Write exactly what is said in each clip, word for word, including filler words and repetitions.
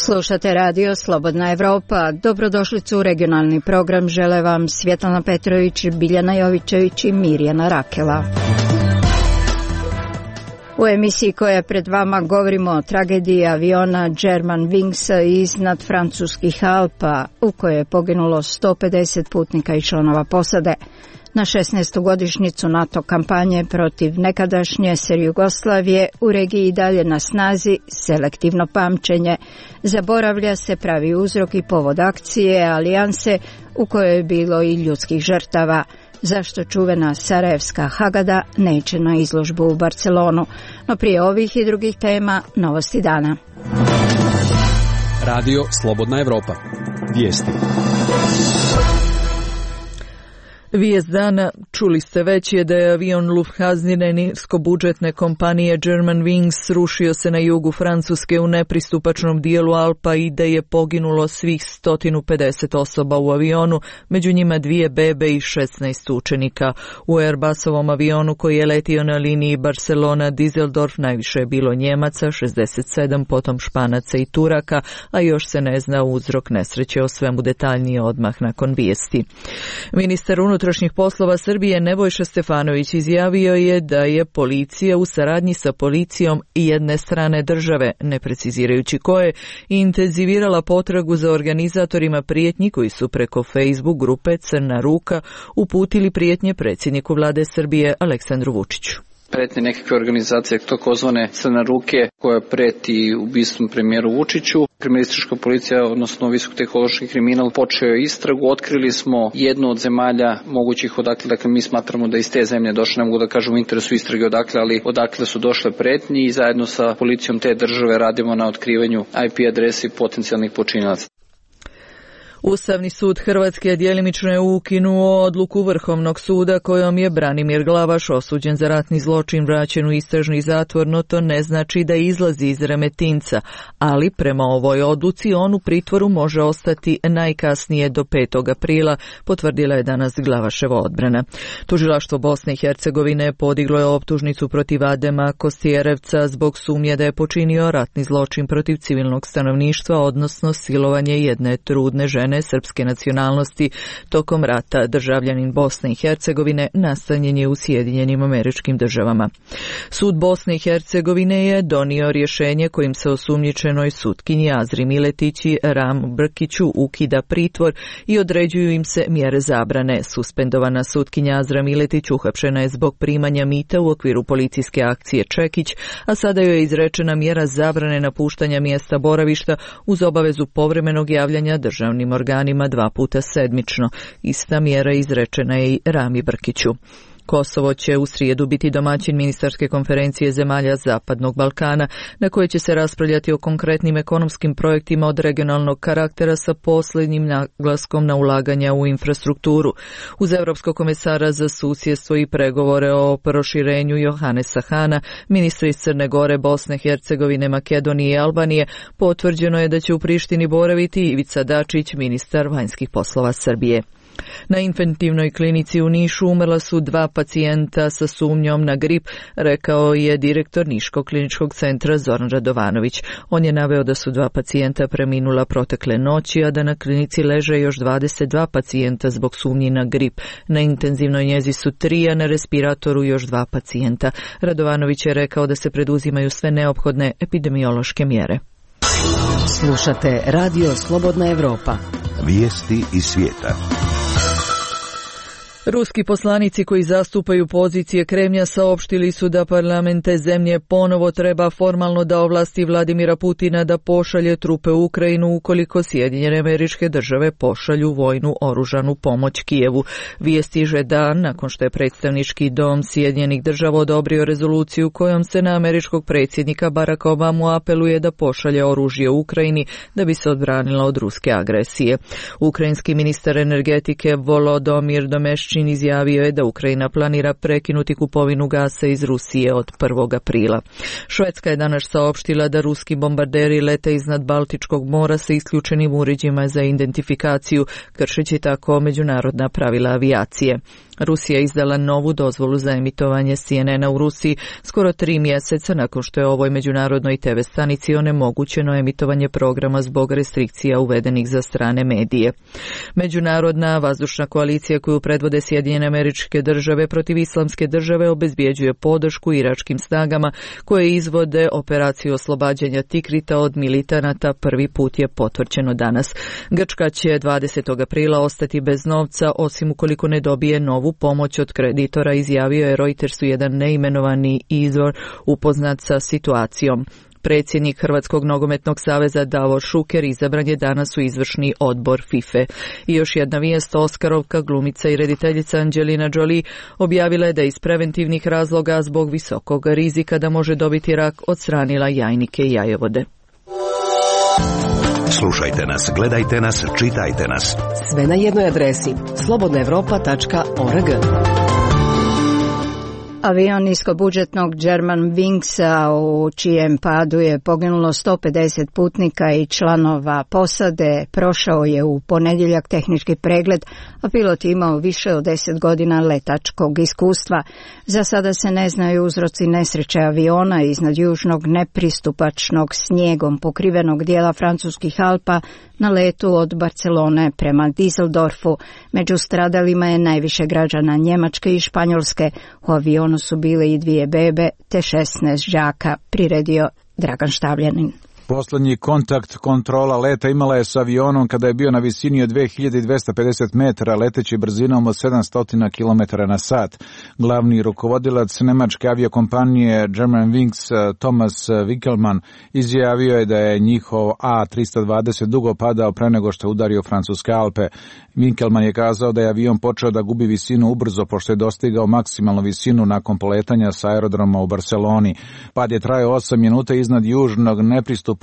Slušate radio Slobodna Evropa. Dobrodošlicu u regionalni program. Žele vam Svjetlana Petrović, Biljana Jovićević i Mirjana Rakela. U emisiji koja je pred vama govorimo o tragediji aviona Germanwingsa iznad francuskih Alpa, u kojoj je poginulo sto pedeset putnika i članova posade. Na šesnaestu godišnjicu NATO kampanje protiv nekadašnje S R Jugoslavije u regiji i dalje na snazi selektivno pamćenje. Zaboravlja se pravi uzrok i povod akcije alijanse u kojoj je bilo i ljudskih žrtava. Zašto čuvena sarajevska Hagada neće na izložbu u Barcelonu? No prije ovih i drugih tema, novosti dana. Radio Slobodna Evropa. Vijesti. Vijest dana, čuli ste već, je da je avion Lufthansine niskobudžetne kompanije Germanwings srušio se na jugu Francuske u nepristupačnom dijelu Alpa i da je poginulo svih sto pedeset osoba u avionu, među njima dvije bebe i šesnaest učenika. U Airbusovom avionu koji je letio na liniji Barcelona-Düsseldorf najviše je bilo Njemaca, šezdeset sedam, potom Španaca i Turaka, a još se ne zna uzrok nesreće. O svemu detaljnije odmah nakon vijesti. Ministar unutrašnjih poslova Srbije Nebojša Stefanović izjavio je da je policija u saradnji sa policijom jedne strane države, ne precizirajući koje, intenzivirala potragu za organizatorima prijetnji koji su preko Facebook grupe Crna ruka uputili prijetnje predsjedniku vlade Srbije Aleksandru Vučiću. Pretnje nekakve organizacije takozvane Crne ruke koja preti ubistvom premijeru Vučiću. Kriminalistička policija, odnosno visokotehnološki kriminal, počeo je istragu. Otkrili smo jednu od zemalja mogućih odakle, dakle mi smatramo da iz te zemlje došle, ne mogu da kažem u interesu istrage odakle, ali odakle su došle pretnje i zajedno sa policijom te države radimo na otkrivanju I P adresi potencijalnih počinilaca. Ustavni sud Hrvatske djelimično je ukinuo odluku Vrhovnog suda kojom je Branimir Glavaš osuđen za ratni zločin vraćen u istražni zatvor, no to ne znači da izlazi iz Remetinca, ali prema ovoj odluci on u pritvoru može ostati najkasnije do petog aprila, potvrdila je danas Glavaševa odbrana. Tužilaštvo Bosne i Hercegovine podiglo je optužnicu protiv Adema Kostjerevca zbog sumnje da je počinio ratni zločin protiv civilnog stanovništva, odnosno silovanje jedne trudne žene srpske nacionalnosti tokom rata. Državljanin Bosne i Hercegovine nastanjen je u Sjedinjenim Američkim Državama. Sud Bosne i Hercegovine je donio rješenje kojim se osumnjičenoj sutkinji Azri Miletić i Ram Brkiću ukida pritvor i određuju im se mjere zabrane. Suspendovana sutkinja Azra Miletić uhapšena je zbog primanja mita u okviru policijske akcije Čekić, a sada joj je izrečena mjera zabrane napuštanja mjesta boravišta uz obavezu povremenog javljanja državnim organima dva puta sedmično. Ista mjera izrečena je i Rami Brkiću. Kosovo će u srijedu biti domaćin ministarske konferencije zemalja Zapadnog Balkana, na kojoj će se raspravljati o konkretnim ekonomskim projektima od regionalnog karaktera sa posljednjim naglaskom na ulaganja u infrastrukturu. Uz Europskog komesara za susjedstvo i pregovore o proširenju Johanesa Hana, ministri iz Crne Gore, Bosne, Hercegovine, Makedonije i Albanije, potvrđeno je da će u Prištini boraviti Ivica Dačić, ministar vanjskih poslova Srbije. Na infektivnoj klinici u Nišu umrla su dva pacijenta sa sumnjom na grip, rekao je direktor Niškog kliničkog centra Zoran Radovanović. On je naveo da su dva pacijenta preminula protekle noći, a da na klinici leže još dvadeset dva pacijenta zbog sumnji na grip. Na intenzivnoj njezi su tri, a na respiratoru još dva pacijenta. Radovanović je rekao da se preduzimaju sve neophodne epidemiološke mjere. Slušate radio Slobodna Evropa. Vijesti iz svijeta. Ruski poslanici koji zastupaju pozicije Kremlja saopštili su da parlament te zemlje ponovo treba formalno da ovlasti Vladimira Putina da pošalje trupe u Ukrajinu ukoliko Sjedinjene Američke Države pošalju vojnu oružanu pomoć Kijevu. Vijest stiže dan nakon što je predstavnički dom Sjedinjenih Država odobrio rezoluciju kojom se na američkog predsjednika Baracka Obamu apeluje da pošalje oružje u Ukrajini da bi se odbranila od ruske agresije. Ukrajinski ministar energetike Volodomir Domeščik Puščin izjavio je da Ukrajina planira prekinuti kupovinu gasa iz Rusije od prvog aprila. Švedska je danas saopštila da ruski bombarderi lete iznad Baltičkog mora sa isključenim uređajima za identifikaciju, kršeći tako međunarodna pravila avijacije. Rusija je izdala novu dozvolu za emitovanje C N N-a u Rusiji skoro tri mjeseca nakon što je ovoj međunarodnoj te ve stanici onemogućeno emitovanje programa zbog restrikcija uvedenih za strane medije. Međunarodna vazdušna koalicija koju predvode Sjedinjene Američke Države protiv Islamske države obezbjeđuje podršku iračkim snagama koje izvode operaciju oslobađanja Tikrita od militanata, prvi put je potvrđeno danas. Grčka će dvadesetog aprila ostati bez novca osim ukoliko ne dobije novu pomoć od kreditora, izjavio je Reutersu jedan neimenovani izvor upoznat sa situacijom. Predsjednik Hrvatskog nogometnog saveza Davor Šuker izabran je danas u izvršni odbor FIFA. I još jedna vijest, Oskarovka, glumica i rediteljica Angelina Jolie objavila je da iz preventivnih razloga zbog visokog rizika da može dobiti rak odstranila jajnike i jajovode. Slušajte nas, gledajte nas, čitajte nas. Sve na jednoj adresi slobodna europa tačka org. Avion niskobudžetnog Germanwingsa u čijem padu je poginulo sto pedeset putnika i članova posade prošao je u ponedjeljak tehnički pregled, a pilot je imao više od deset godina letačkog iskustva. Za sada se ne znaju uzroci nesreće aviona iznad južnog nepristupačnog snijegom pokrivenog dijela francuskih Alpa na letu od Barcelone prema Düsseldorfu. Među stradalima je najviše građana Njemačke i Španjolske. U avionu su bile i dvije bebe te šesnaest đaka, priredio Dragan Štavljanin. Poslednji kontakt kontrola leta imala je s avionom kada je bio na visini od dve hiljade dvesta pedeset metara, leteći brzinom od sedamsto kilometara na sat. Glavni rukovodilac nemačke aviokompanije Germanwings Thomas Winkelmann izjavio je da je njihov A tristo dvadeset dugo padao pre nego što je udario francuske Alpe. Winkelmann je kazao da je avion počeo da gubi visinu ubrzo pošto je dostigao maksimalnu visinu nakon poletanja sa aerodroma u Barceloni. Pad je trajao osam minuta iznad južnog nepristupačnog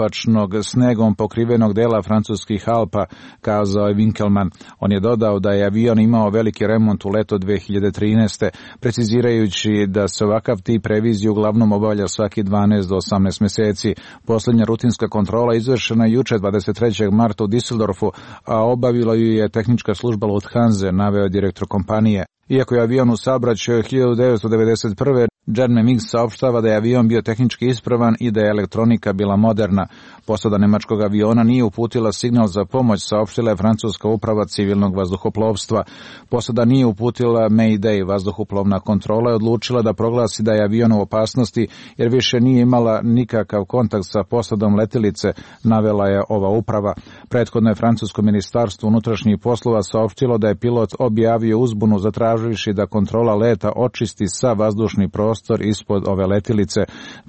snegom pokrivenog dela francuskih Alpa, kazao je Winkelmann. On je dodao da je avion imao veliki remont u leto dve hiljade trinaeste, precizirajući da se ovakav tip revizije uglavnom obavlja svaki dvanaest do osamnaest mjeseci. Poslednja rutinska kontrola izvršena juče dvadeset trećeg marta u Düsseldorfu, a obavila ju je tehnička služba Lufthansa, naveo direktor kompanije. Iako je avion u saobraćaju hiljadu devetsto devedeset prve. Germanwings saopštava da je avion bio tehnički ispravan i da je elektronika bila moderna. Posada nemačkog aviona nije uputila signal za pomoć, saopštila je francuska uprava civilnog vazduhoplovstva. Posada nije uputila Mayday, vazduhoplovna kontrola je odlučila da proglasi da je avion u opasnosti jer više nije imala nikakav kontakt sa posadom letilice, navela je ova uprava. Prethodno je francusko ministarstvo unutrašnjih poslova saopštilo da je pilot objavio uzbunu zatraživši da kontrola leta očisti sa vazdušni prostor ispod ove letilice.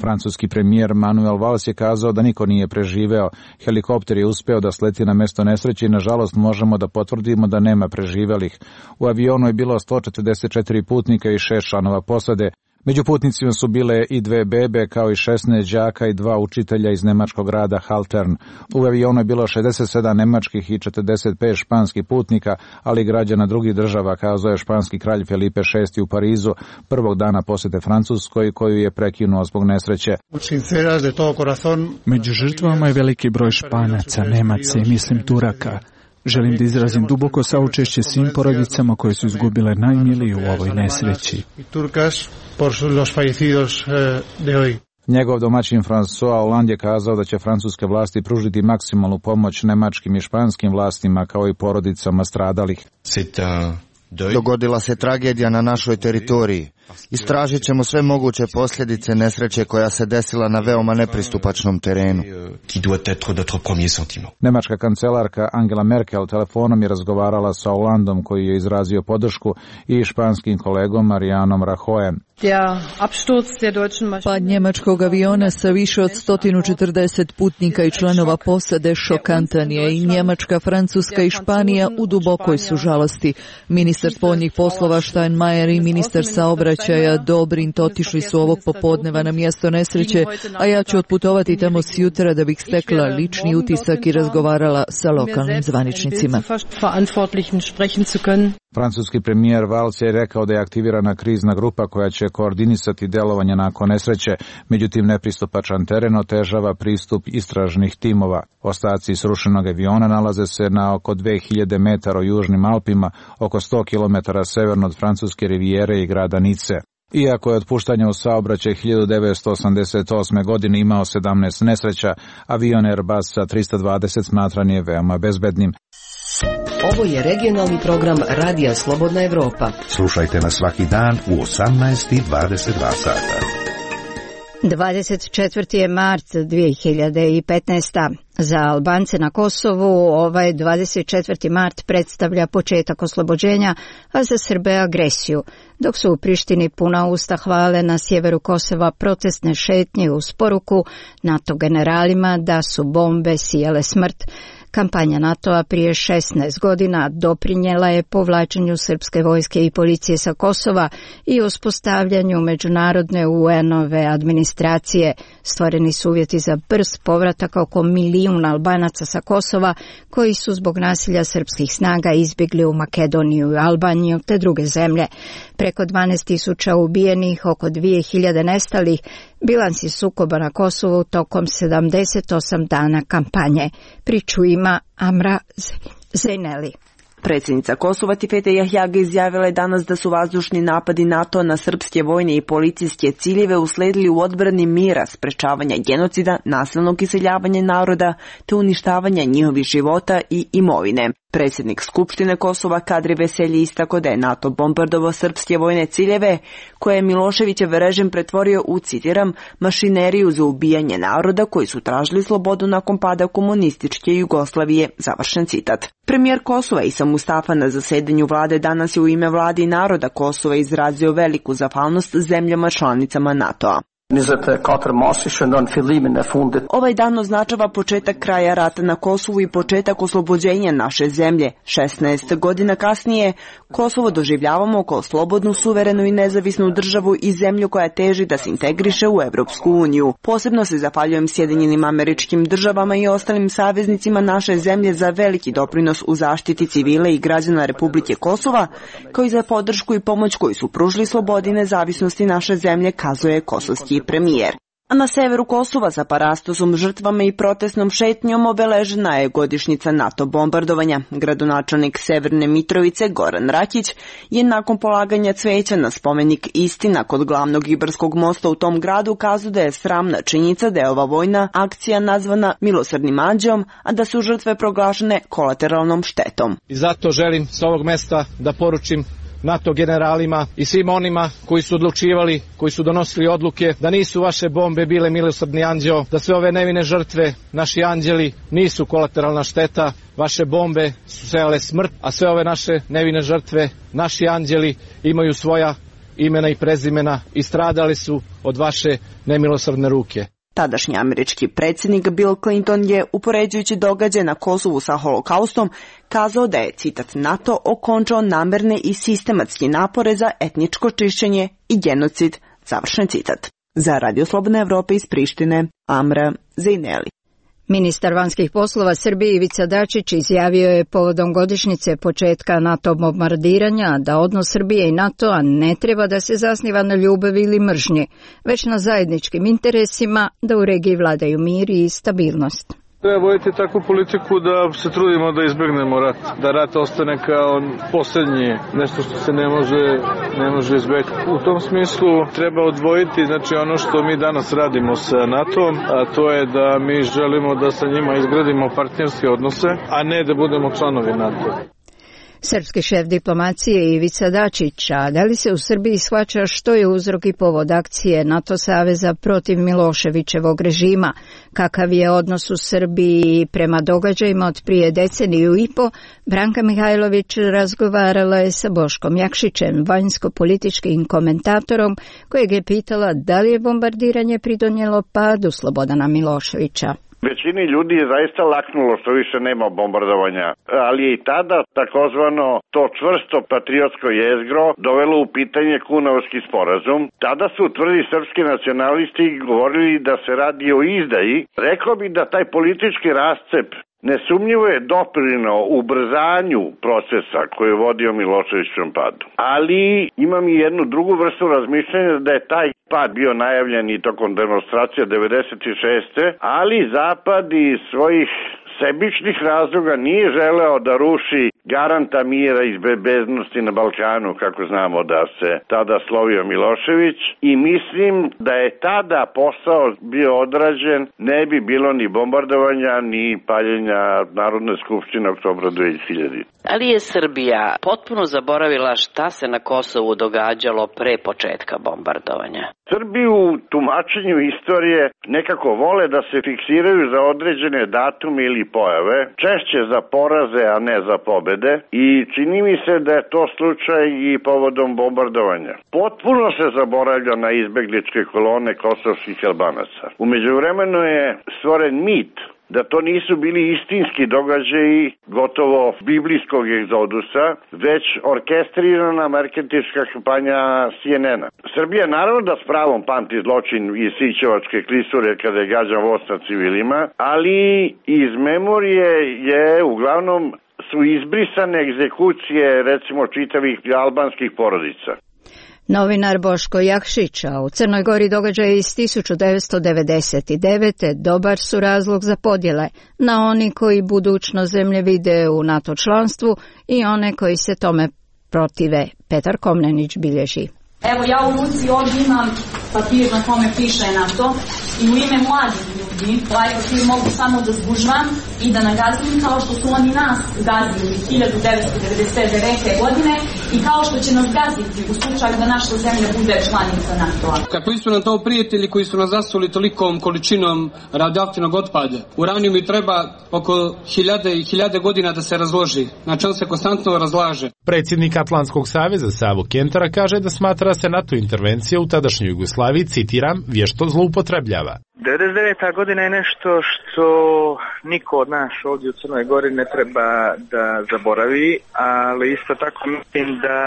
Francuski premijer Manuel Valls je kazao da niko nije preživeo. Helikopter je uspeo da sleti na mesto nesreće i nažalost možemo da potvrdimo da nema preživelih. U avionu je bilo sto četrdeset četiri putnika i šest članova posade. Među putnicima su bile i dve bebe kao i šesnaest đaka i dva učitelja iz nemačkog grada Haltern. U avionu je bilo šezdeset sedam nemačkih i četrdeset pet španskih putnika, ali i građana drugih država, kazao je španski kralj Felipe šesti u Parizu prvog dana posete Francuskoj koju je prekinuo zbog nesreće. Među žrtvama je veliki broj Španaca, Nemaca i mislim Turaka. Želim da izrazim duboko saučešće svim porodicama koje su izgubile najmilije u ovoj nesreći. Njegov domaćin François Hollande je kazao da će francuske vlasti pružiti maksimalnu pomoć nemačkim i španskim vlastima kao i porodicama stradalih. Dogodila se tragedija na našoj teritoriji. Istražit ćemo sve moguće posljedice nesreće koja se desila na veoma nepristupačnom terenu. Nemačka kancelarka Angela Merkel telefonom je razgovarala sa Hollandom koji je izrazio podršku i španskim kolegom Marijanom Rajoyem. Pad njemačkog aviona sa više od sto četrdeset putnika i članova posade šokantan je i Njemačka, Francuska i Španija u dubokoj su žalosti. Ministar spoljnih poslova Steinmeier i ministar saobraćaja Dobrindt otišli su ovog popodneva na mjesto nesreće, a ja ću otputovati tamo sjutra da bih stekla lični utisak i razgovarala sa lokalnim zvaničnicima. Francuski premijer Valls je rekao da je aktivirana krizna grupa koja će koordinisati delovanje nakon nesreće, međutim nepristupačan teren otežava pristup istražnih timova. Ostaci srušenog aviona nalaze se na oko dve hiljade metara u južnim Alpima, oko sto kilometara severno od francuske rivijere i grada Nice. Iako je otpuštanje u saobraćaj hiljadu devetsto osamdeset osme. godine imao sedamnaest nesreća, avion Airbus tristo dvadeset smatran je veoma bezbednim. Ovo je regionalni program Radija Slobodna Evropa. Slušajte nas svaki dan u osamnaest i dvadeset dva sata. dvadeset četvrti je mart dvije hiljade petnaeste. Za Albance na Kosovu ovaj dvadeset četvrti mart predstavlja početak oslobođenja, a za Srbe agresiju, dok su u Prištini puna usta hvale na sjeveru Kosova protestne šetnje uz poruku NATO generalima da su bombe sijale smrt. Kampanja NATO-a prije šesnaest godina doprinijela je povlačenju srpske vojske i policije sa Kosova i uspostavljanju međunarodne U N-ove administracije. Stvoreni su uvjeti za brz povratak oko milijun Albanaca sa Kosova koji su zbog nasilja srpskih snaga izbjegli u Makedoniju i Albaniju te druge zemlje. Preko dvanaest tisuća ubijenih, oko dvije hiljade nestalih, bilansi sukoba na Kosovu tokom sedamdeset osam dana kampanje. Priču ima Amra Zejneli. Predsjednica Kosova Tifete Jahjaga izjavila je danas da su vazdušni napadi NATO na srpske vojne i policijske ciljeve usledili u odbrani mira, sprečavanja genocida, nasilnog iseljavanja naroda te uništavanja njihovih života i imovine. Predsjednik Skupštine Kosova Kadri Veselji istako da je NATO bombardovao srpske vojne ciljeve koje je Miloševićev režim pretvorio u, citiram, mašineriju za ubijanje naroda koji su tražili slobodu nakon pada komunističke Jugoslavije, završen citat. Premijer Kosova Isa Mustafa na zasedanju vlade danas je u ime vlade i naroda Kosova izrazio veliku zahvalnost zemljama članicama NATO-a. Ovaj dan označava početak kraja rata na Kosovu i početak oslobođenja naše zemlje. šesnaest godina kasnije Kosovo doživljavamo kao slobodnu, suverenu i nezavisnu državu i zemlju koja teži da se integriše u Evropsku uniju. Posebno se zahvaljujem Sjedinjenim Američkim Državama i ostalim saveznicima naše zemlje za veliki doprinos u zaštiti civila i građana Republike Kosova, kao i za podršku i pomoć koju su pružili slobodi i nezavisnosti naše zemlje, kazuje kosovski premijer. A na severu Kosova sa parastosom, žrtvama i protestnom šetnjom obeležena je godišnjica NATO bombardovanja. Gradonačelnik Severne Mitrovice Goran Rakić je nakon polaganja cveća na spomenik Istina kod glavnog Ibarskog mosta u tom gradu kazao da je sramna činjenica da je ova vojna akcija nazvana milosrdnim anđeom, a da su žrtve proglašene kolateralnom štetom. I zato želim s ovog mesta da poručim NATO generalima i svim onima koji su odlučivali, koji su donosili odluke, da nisu vaše bombe bile milosrdni anđeo, da sve ove nevine žrtve, naši anđeli, nisu kolateralna šteta, vaše bombe su sejale smrt, a sve ove naše nevine žrtve, naši anđeli imaju svoja imena i prezimena i stradali su od vaše nemilosrdne ruke. Tadašnji američki predsjednik Bill Clinton je, upoređujući događaje na Kosovu sa holokaustom, kazao da je, citat, NATO okončao namerne i sistematski napore za etničko čišćenje i genocid, završen citat. Za Radio Slobodne Evrope iz Prištine, Amra Zejneli. Ministar vanjskih poslova Srbije Ivica Dačić izjavio je povodom godišnjice početka NATO bombardiranja da odnos Srbije i NATO-a ne treba da se zasniva na ljubavi ili mržnji, već na zajedničkim interesima da u regiji vladaju mir i stabilnost. Treba voditi takvu politiku da se trudimo da izbjegnemo rat, da rat ostane kao posljednji, nešto što se ne može, ne može izbjeći. U tom smislu treba odvojiti, znači ono što mi danas radimo sa NATO-om, a to je da mi želimo da sa njima izgradimo partnerske odnose, a ne da budemo članovi NATO. Srpski šef diplomacije Ivica Dačić, a da li se u Srbiji shvaća što je uzrok i povod akcije NATO saveza protiv Miloševićevog režima, kakav je odnos u Srbiji prema događajima od prije deceniju i po, Branka Mihajlović razgovarala je sa Boškom Jakšićem, vanjsko-političkim komentatorom, kojeg je pitala da li je bombardiranje pridonijelo padu Slobodana Miloševića. Većini ljudi je zaista laknulo što više nema bombardovanja, ali je i tada takozvano to čvrsto patriotsko jezgro dovelo u pitanje Kunovski sporazum. Tada su tvrdi srpski nacionalisti govorili da se radi o izdaji. Rekao bi da taj politički rascep nesumnjivo je doprineo ubrzanju procesa koji je vodio Miloševićevom padu. Ali imam i jednu drugu vrstu razmišljanja da je taj pad bio najavljen i tokom demonstracija devedeset šeste. ali Zapad iz svojih sebičnih razloga nije želeo da ruši garanta mira i bezbednosti na Balkanu, kako znamo da se tada slovio Milošević, i mislim da je tada posao bio odrađen, ne bi bilo ni bombardovanja, ni paljenja Narodne skupštine oktobra dve hiljadite. Ali je Srbija potpuno zaboravila šta se na Kosovu događalo pre početka bombardovanja? Srbi u tumačenju istorije nekako vole da se fiksiraju za određene datume ili pojave, češće za poraze, a ne za pobede, i čini mi se da je to slučaj i povodom bombardovanja. Potpuno se zaboravlja na izbegličke kolone kosovskih Albanaca. U međuvremenu je stvoren mit da to nisu bili istinski događaji gotovo biblijskog egzodusa, već orkestrirana marketinška kampanja C N N-a. Srbija naravno da s pravom pamti zločin iz Sićevačke klisure kada je gađan voz na civilima, ali iz memorije je uglavnom su izbrisane egzekucije recimo čitavih albanskih porodica. Novinar Boško Jakšić, a u Crnoj Gori događaje iz tisuću devetsto devedeset devete. dobar su razlog za podjele na oni koji budućnost zemlje vide u NATO članstvu i one koji se tome protive. Petar Komnenić bilježi. Evo ja u ruci ovdje imam papir na kome piše NATO i u ime mladih ljudi ovaj papir mogu samo da zgužvam i da nagazim kao što su oni nas gazili hiljadu devetsto devedeset devete. godine i kao što će nas gaziti u slučaju da naša zemlja bude članica NATO-a. Kakvi su nam to prijatelji koji su nas zasuli tolikom količinom radioaktivnog otpada? Uranijum mi treba oko hiljade i hiljade godina da se razloži, znači on se konstantno razlaže. Predsjednik Atlantskog saveza Savo Kentara kaže da smatra da se NATO intervencija u tadašnjoj Jugoslaviji, citiram, vješto zloupotrebljava. devedeset deveta. godina je nešto što niko od nas ovdje u Crnoj Gori ne treba da zaboravi, ali isto tako mislim da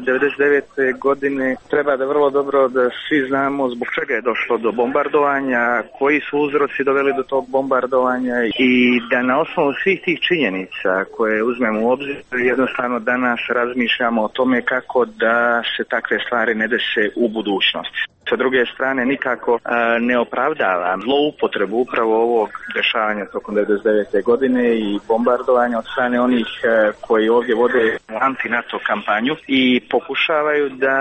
devedeset devete. godine treba da vrlo dobro da svi znamo zbog čega je došlo do bombardovanja, koji su uzroci doveli do tog bombardovanja i da na osnovu svih tih činjenica koje uzmemo u obzir jednostavno danas razmišljamo o tome kako da se takve stvari ne dese u budućnosti. Sa druge strane nikako a, ne opravdava zloupotrebu upravo ovog dešavanja tokom devedeset devete. godine i bombardovanja od strane onih a, koji ovdje vode anti-NATO kampanju i pokušavaju da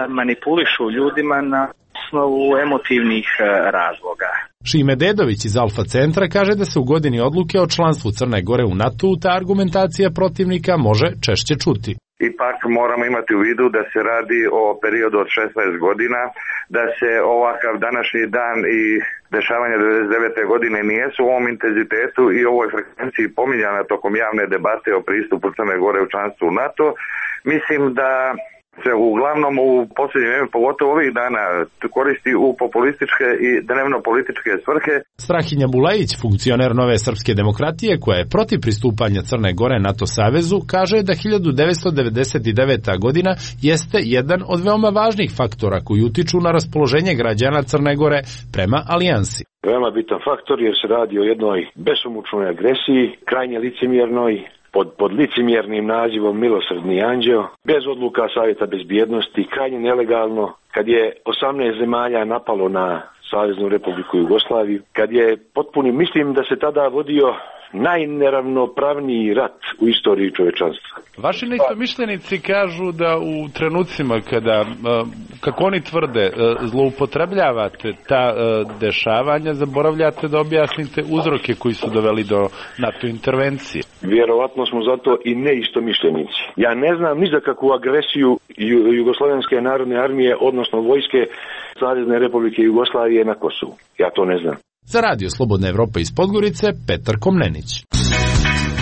manipulišu ljudima na osnovu emotivnih a, razloga. Šime Dedović iz Alfa centra kaže da se u godini odluke o članstvu Crne Gore u NATO ta argumentacija protivnika može češće čuti. Ipak moramo imati u vidu da se radi o periodu od šesnaest godina, da se ovakav današnji dan i dešavanja devedeset devete. godine nijesu u ovom intenzitetu i ovoj frekvenciji pominjana tokom javne debate o pristupu Crne Gore u članstvu u NATO. Mislim da se uglavnom u posljednje vrijeme, pogotovo ovih dana, koristi u populističke i dnevno političke svrhe. Strahinja Bulajić, funkcioner Nove srpske demokratije, koja je protiv pristupanja Crne Gore NATO savezu, kaže da hiljadu devetsto devedeset deveta. godina jeste jedan od veoma važnih faktora koji utiču na raspoloženje građana Crne Gore prema alijansi. Veoma bitan faktor jer se radi o jednoj besomučnoj agresiji, krajnje licemjernoj, pod, pod licemjernim nazivom Milosrdni anđeo, bez odluka Savjeta bezbjednosti, krajnje nelegalno, kad je osamnaest zemalja napalo na Saveznu Republiku Jugoslaviju, kad je potpuni, mislim da se tada vodio najneravnopravniji rat u istoriji čovečanstva. Vaši neistomišljenici kažu da u trenucima kada, kako oni tvrde, zloupotrebljavate ta dešavanja, zaboravljate da objasnite uzroke koji su doveli do NATO intervencije. Vjerovatno smo zato i neistomišljenici. Ja ne znam ni za kakvu agresiju Jugoslovenske narodne armije, odnosno vojske Savezne Republike Jugoslavije na Kosovu. Ja to ne znam. Za Radio Slobodna Evropa iz Podgorice, Petar Komnenić.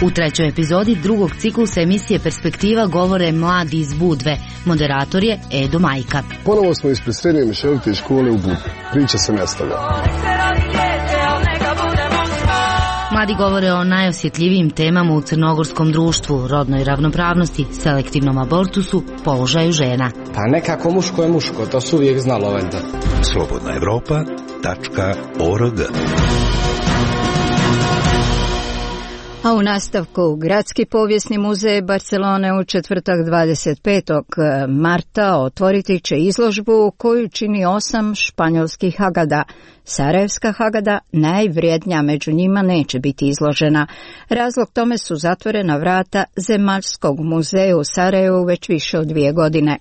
U trećoj epizodi drugog ciklusa emisije Perspektiva govore mladi iz Budve. Moderator je Edo Majka. Ponovo smo ispred srednje mješovite škole u Budvi. Priča se nastavlja. Mladi govore o najosjetljivijim temama u crnogorskom društvu, rodnoj ravnopravnosti, selektivnom abortusu, položaju žena. Pa nekako muško je muško, to su uvijek znalo valjda. Slobodna Evropa tačka org A u nastavku, Gradski povijesni muzej Barcelone u četvrtak dvadeset petog marta otvoriti će izložbu koju čini osam španjolskih hagada. Sarajevska hagada, najvrijednija među njima, neće biti izložena. Razlog tome su zatvorena vrata Zemaljskog muzeja u Sarajevu već više od dvije godine.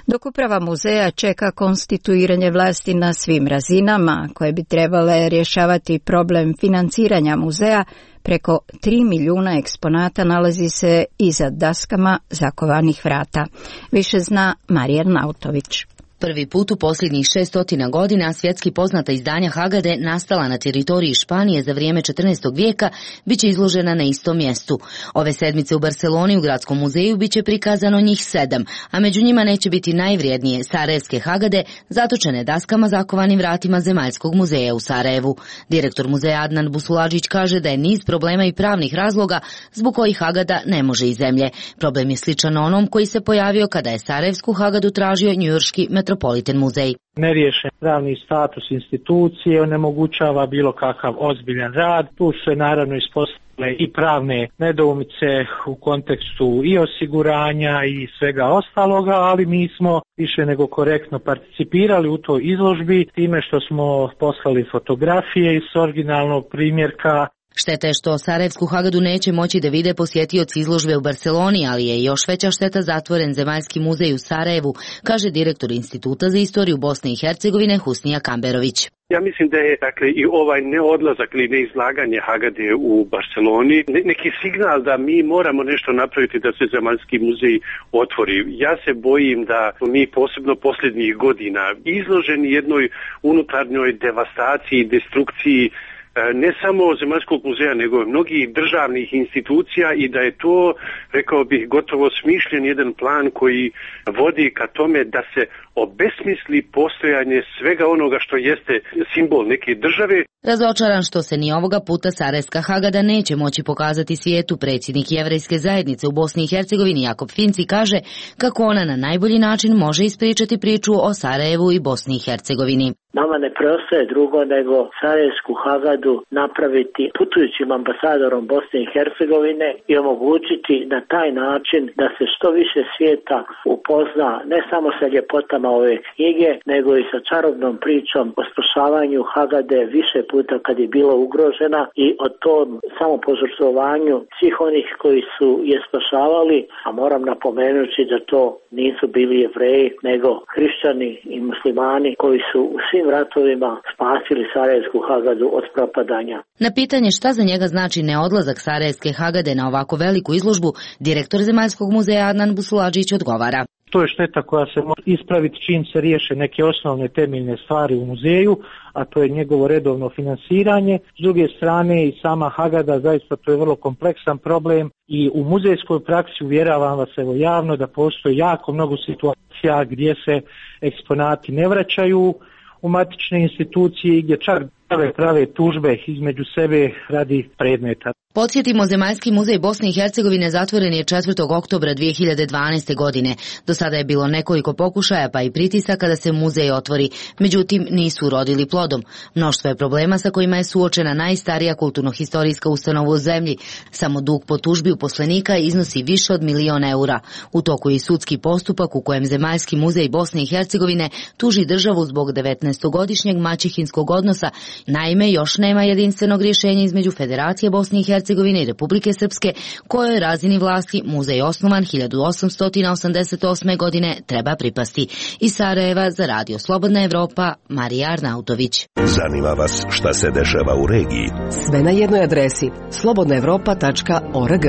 Dok uprava muzeja čeka konstituiranje vlasti na svim razinama, koje bi trebale rješavati problem financiranja muzeja, preko tri milijuna eksponata nalazi se iza daskama zakovanih vrata. Više zna Marija Nautović. Prvi put u posljednjih šestotina godina svjetski poznata izdanja Hagade, nastala na teritoriji Španije za vrijeme četrnaestog vijeka, bit će izložena na istom mjestu. Ove sedmice u Barceloni u Gradskom muzeju bit će prikazano njih sedam, a među njima neće biti najvrijednije sarajevske Hagade, zatočene daskama zakovanim vratima Zemaljskog muzeja u Sarajevu. Direktor muzeja Adnan Busuladžić kaže da je niz problema i pravnih razloga zbog kojih Hagada ne može iz zemlje. Problem je sličan onom koji se pojavio kada je sarajevsku Hagadu tražio njujorški Metropolitan muzej. Neriješen pravni status institucije onemogućava bilo kakav ozbiljan rad. Tu se naravno ispostavile i pravne nedoumice u kontekstu i osiguranja i svega ostaloga, ali mi smo više nego korektno participirali u toj izložbi time što smo poslali fotografije iz originalnog primjerka. Šteta je što Sarajevsku Hagadu neće moći da vide posjetioci izložbe u Barceloni, ali je još veća šteta zatvoren Zemaljski muzej u Sarajevu, kaže direktor Instituta za istoriju Bosne i Hercegovine Husnija Kamberović. Ja mislim da je dakle i ovaj neodlazak ili neizlaganje Hagade u Barceloni neki signal da mi moramo nešto napraviti da se Zemaljski muzej otvori. Ja se bojim da mi posebno posljednjih godina izloženi jednoj unutarnjoj devastaciji i destrukciji ne samo Zemaljskog muzeja, nego mnogih državnih institucija i da je to, rekao bih, gotovo smišljen jedan plan koji vodi ka tome da se obesmisli postojanje svega onoga što jeste simbol neke države. Razočaran što se ni ovoga puta Sarajevska Hagada neće moći pokazati svijetu, predsjednik Jevrejske zajednice u Bosni i Hercegovini Jakob Finci kaže kako ona na najbolji način može ispričati priču o Sarajevu i Bosni i Hercegovini. Nama ne preostaje drugo nego Sarajevsku Hagadu napraviti putujućim ambasadorom Bosne i Hercegovine i omogućiti na taj način da se što više svijeta upozna ne samo sa ljepotama ove knjige, nego i sa čarobnom pričom o spašavanju Hagade više puta kad je bila ugrožena i o tom samopožrtvovanju svih onih koji su je spašavali, a moram napomenuti da to nisu bili Jevreji, nego hrišćani i muslimani koji su u svim ratovima spasili Sarajevsku Hagadu od propadanja. Na pitanje šta za njega znači neodlazak Sarajevske Hagade na ovako veliku izložbu, direktor Zemaljskog muzeja Adnan Busuladžić odgovara. To je šteta koja se može ispraviti čim se riješe neke osnovne temeljne stvari u muzeju, a to je njegovo redovno finansiranje. S druge strane i sama Hagada, zaista to je vrlo kompleksan problem i u muzejskoj praksi uvjeravam vas evo javno da postoji jako mnogo situacija gdje se eksponati ne vraćaju u matične institucije i gdje čak prave prave tužbe između sebe radi predmeta. Podsjetimo, Zemaljski muzej Bosne i Hercegovine zatvoren je četvrtog oktobra dvije hiljade dvanaeste. godine. Do sada je bilo nekoliko pokušaja pa i pritisaka da se muzej otvori, međutim nisu urodili plodom. Mnoštvo je problema sa kojima je suočena najstarija kulturno-historijska ustanova u zemlji. Samo dug po tužbi uposlenika iznosi više od milion eura. U toku je i sudski postupak u kojem Zemaljski muzej Bosne i Hercegovine tuži državu zbog devetnaestogodišnjeg maćehinskog odnosa. Naime, još nema jedinstvenog rješenja između Federacije Bosne i Hercegovine i Republike Srpske, kojoj razini vlasti muzej osnovan hiljadu osamsto osamdeset osme. godine treba pripasti. Iz Sarajeva za Radio Slobodna Evropa, Marija Arnautović. Zanima vas šta se dešava u regiji? Sve na jednoj adresi slobodna evropa tačka org.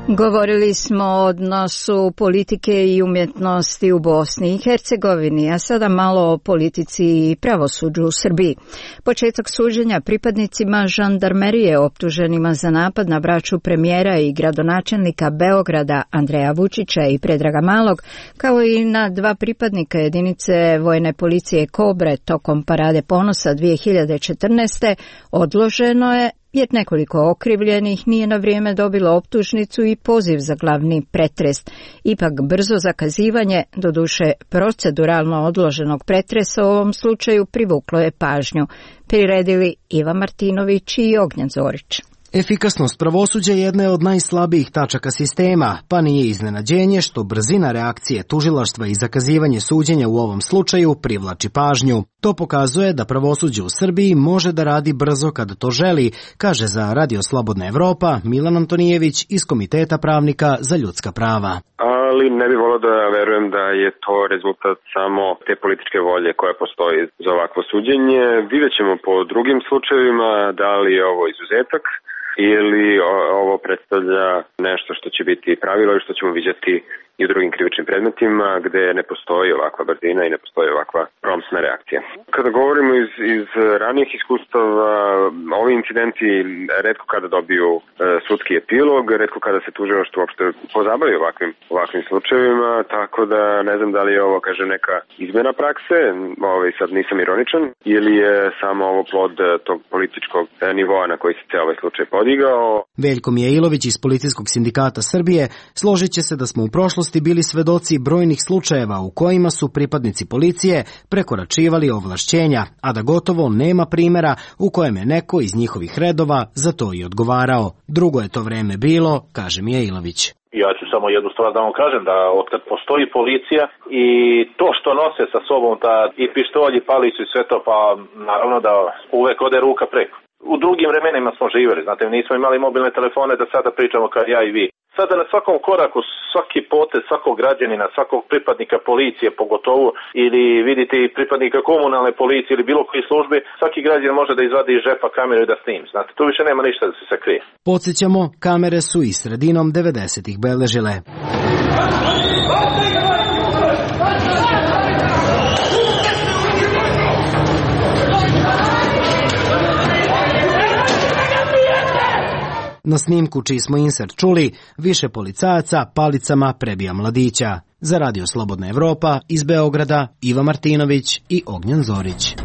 Govorili smo o odnosu politike i umjetnosti u Bosni i Hercegovini, a sada malo o politici i pravosuđu u Srbiji. Početak suđenja pripadnicima žandarmerije optuženima za napad na braću premijera i gradonačelnika Beograda Andreja Vučića i Predraga Malog, kao i na dva pripadnika jedinice vojne policije Kobre tokom Parade ponosa dvije hiljade četrnaeste. odloženo je jer nekoliko okrivljenih nije na vrijeme dobilo optužnicu i poziv za glavni pretres. Ipak brzo zakazivanje, doduše proceduralno odloženog pretresa u ovom slučaju privuklo je pažnju. Priredili Iva Martinović i Ognjen Zorić. Efikasnost pravosuđa jedna je od najslabijih tačaka sistema, pa nije iznenađenje što brzina reakcije tužilaštva i zakazivanje suđenja u ovom slučaju privlači pažnju. To pokazuje da pravosuđe u Srbiji može da radi brzo kada to želi, kaže za Radio Slobodna Evropa Milan Antonijević iz Komiteta pravnika za ljudska prava. Ali ne bih volio da verujem da je to rezultat samo te političke volje koja postoji za ovakvo suđenje. Vidjet ćemo po drugim slučajevima da li je ovo izuzetak ili ovo predstavlja nešto što će biti pravilo i što ćemo vidjeti i u drugim krivičnim predmetima gde ne postoji ovakva brzina i ne postoji ovakva promptna reakcija. Kada govorimo iz, iz ranijih iskustava, ovi incidenti retko kada dobiju e, sudski epilog, retko kada se tužilaštvo uopšte pozabavi ovakvim, ovakvim slučajevima, tako da ne znam da li je ovo, kaže, neka izmjena prakse, ovaj, sad nisam ironičan, ili je samo ovo plod tog političkog nivoa na koji se cijel ovaj slučaj podigao. Veljko Mijailović iz Policijskog sindikata Srbije složit će se da smo u prošlosti bili svedoci brojnih slučajeva u kojima su pripadnici policije prekoračivali ovlašćenja, a da gotovo nema primjera u kojem je neko iz njihovih redova za to i odgovarao. Drugo je to vreme bilo, kaže Mijailović. Ja ću samo jednu stvar da vam kažem, da otkad postoji policija i to što nose sa sobom ta i pištolj i palicu i sve to, pa naravno da uvek ode ruka preko. U drugim vremenima smo živjeli, znate, nismo imali mobilne telefone da sada pričamo kao ja i vi. Sada na svakom koraku, svaki potez, svakog građanina, svakog pripadnika policije pogotovo, ili vidite i pripadnika komunalne policije ili bilo koji službi, svaki građanin može da izvadi iz žepa kameru i da snimi. Znate, tu više nema ništa da se sakrije. Podsjećamo, kamere su i sredinom devedesetih beležile. Na snimku čiji smo insert čuli, više policajaca palicama prebija mladića. Za Radio Slobodna Evropa iz Beograda Iva Martinović i Ognjen Zorić.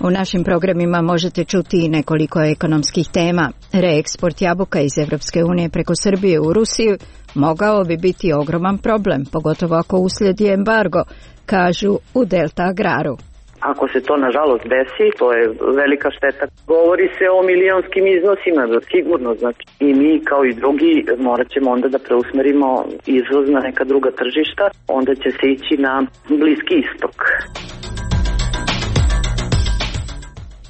U našim programima možete čuti i nekoliko ekonomskih tema. Reeksport jabuka iz Evropske unije preko Srbije u Rusiju mogao bi biti ogroman problem, pogotovo ako uslijedi embargo, kažu u Delta Agraru. Ako se to nažalost desi, to je velika šteta. Govori se o milionskim iznosima, sigurno, znači. I mi kao i drugi morat ćemo onda da preusmerimo izvoz na neka druga tržišta, onda će se ići na Bliski istok.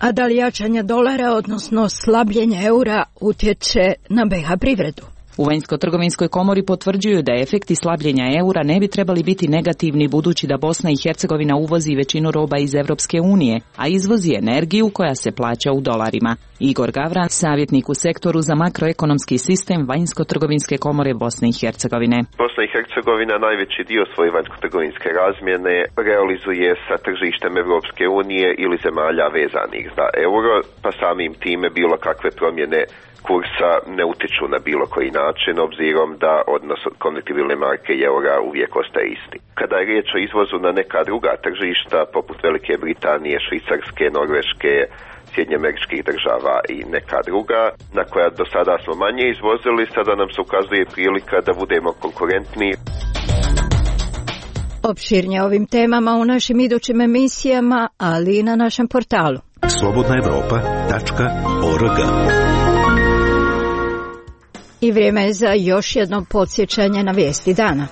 A da li jačanje dolara, odnosno slabljenje eura, utječe na be ha privredu? U Vanjsko-trgovinskoj komori potvrđuju da efekti slabljenja eura ne bi trebali biti negativni budući da Bosna i Hercegovina uvozi većinu roba iz Evropske unije, a izvozi energiju koja se plaća u dolarima. Igor Gavran, savjetnik u sektoru za makroekonomski sistem Vanjsko-trgovinske komore Bosne i Hercegovine. Bosna i Hercegovina najveći dio svoje vanjsko-trgovinske razmjene realizuje sa tržištem Evropske unije ili zemalja vezanih za euro, pa samim time bilo kakve promjene kursa ne utiču na bilo koji način, obzirom da odnos konvertibilne marke i eura uvijek ostaje isti. Kada je riječ o izvozu na neka druga tržišta, poput Velike Britanije, Švicarske, Norveške, Sjedinjeameričkih država i neka druga, na koja do sada smo manje izvozili, sada nam se ukazuje prilika da budemo konkurentni. Opširnije ovim temama u našim idućim emisijama, ali i na našem portalu. slobodna evropa tačka org. I vrijeme je za još jedno podsjećanje na vijesti dana.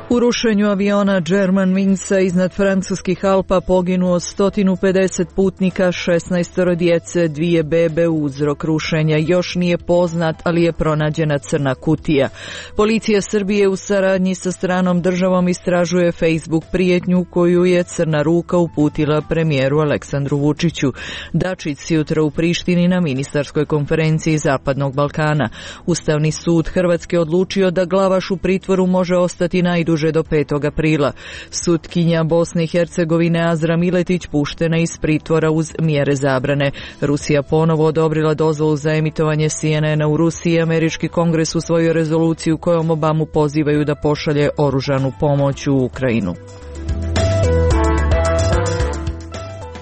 U rušenju aviona Germanwingsa iznad francuskih Alpa poginuo sto pedeset putnika, šesnaest djece, dvije bebe. Uzrok rušenja još nije poznat, ali je pronađena crna kutija. Policija Srbije u saradnji sa stranom državom istražuje Facebook prijetnju koju je Crna ruka uputila premijeru Aleksandru Vučiću. Dačić jutra u Prištini na ministarskoj konferenciji Zapadnog Balkana. Ustavni sud Hrvatske odlučio da Glavaš u pritvoru može ostati najduže do petog aprila. Sutkinja Bosne i Hercegovine Azra Miletić puštena iz pritvora uz mjere zabrane. Rusija ponovo odobrila dozvolu za emitovanje C N N-a u Rusiji. Američki kongres usvojio rezoluciju kojom Obamu pozivaju da pošalje oružanu pomoć u Ukrajinu.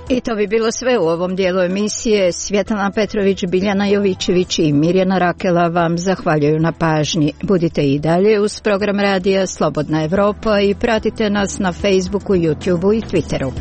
I to bi bilo sve u ovom dijelu emisije. Svjetlana Petrović, Biljana Jovićević i Mirjana Rakela vam zahvaljuju na pažnji. Budite i dalje uz program radija Slobodna Evropa i pratite nas na Facebooku, YouTubeu i Twitteru.